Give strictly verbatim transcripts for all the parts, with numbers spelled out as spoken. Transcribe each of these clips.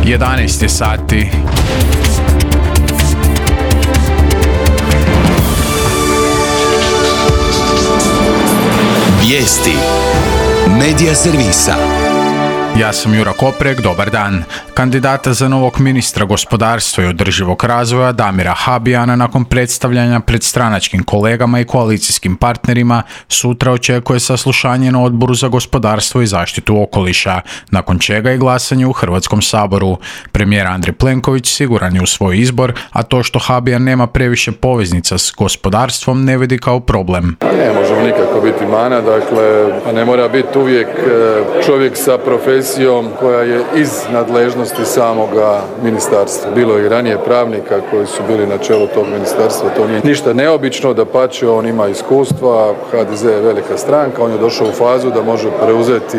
jedanaest je sati. Vijesti Medija servisa. Ja sam Jura Koprek, dobar dan. Kandidata za novog ministra gospodarstva i održivog razvoja Damira Habijana nakon predstavljanja pred stranačkim kolegama i koalicijskim partnerima sutra očekuje saslušanje na Odboru za gospodarstvo i zaštitu okoliša, nakon čega je glasanje u Hrvatskom saboru. Premijer Andrej Plenković siguran je u svoj izbor, a to što Habijan nema previše poveznica s gospodarstvom ne vidi kao problem. Ne možemo nikako biti mana, dakle ne mora biti uvijek čovjek sa profesijom koja je iz nadležnosti samoga ministarstva. Bilo je i ranije pravnika koji su bili na čelu tog ministarstva, to nije ništa neobično, dapače on ima iskustva, H D Z je velika stranka, on je došao u fazu da može preuzeti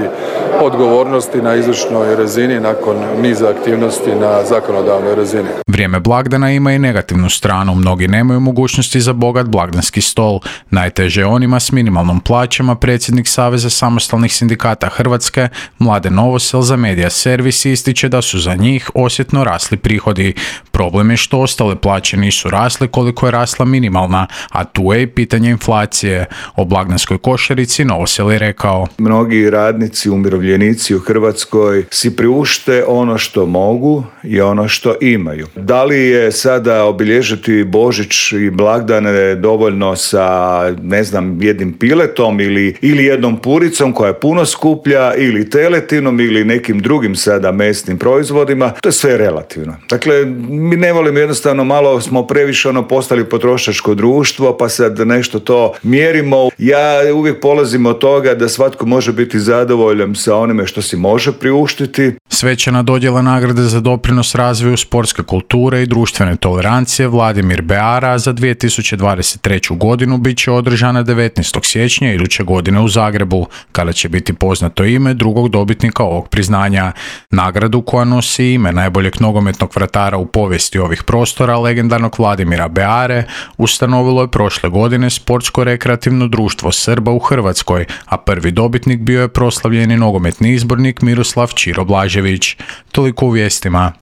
odgovornosti na izvršnoj razini nakon niza aktivnosti na zakonodavnoj razini. Vrijeme blagdana ima i negativnu stranu, mnogi nemaju mogućnosti za bogat blagdanski stol. Najteže je onima s minimalnom plaćama. Predsjednik Saveza samostalnih sindikata Hrvatske, Mladen Novosel, za Medija servis ističe da su za njih osjetno rasli prihodi. Problem je što ostale plaće nisu rasle koliko je rasla minimalna, a tu je i pitanje inflacije. O blagdanskoj košarici Novosel je rekao: mnogi radnici, umirovljenici u Hrvatskoj si priušte ono što mogu i ono što imaju. Da li je sada obilježiti Božić i blagdane dovoljno sa, ne znam, jednim piletom ili, ili jednom puricom koja je puno skuplja, ili teletinom ili nekim drugim sada mesnim proizvodima, to je sve relativno. Dakle, mi ne volimo, jednostavno malo smo previše ono postali potrošačko društvo, pa sad nešto to mjerimo. Ja uvijek polazim od toga da svatko može biti zadovoljan sa onime što si može priuštiti. Svečana dodjela nagrade za doprinos razvoju sportske kulture i društvene tolerancije Vladimir Beara za dvije tisuće dvadeset treću godinu bit će održana devetnaestog siječnja iduće godine u Zagrebu, kada će biti poznato ime drugog dobitnika ovog priznanja. Nagradu, koja nosi ime najboljeg nogometnog vratara u povijesti ovih prostora, legendarnog Vladimira Beare, ustanovilo je prošle godine Sportsko-rekreativno društvo Srba u Hrvatskoj, a prvi dobitnik bio je proslavljeni nogometni izbornik Miroslav Ćiro Blažević. Toliko u vijestima.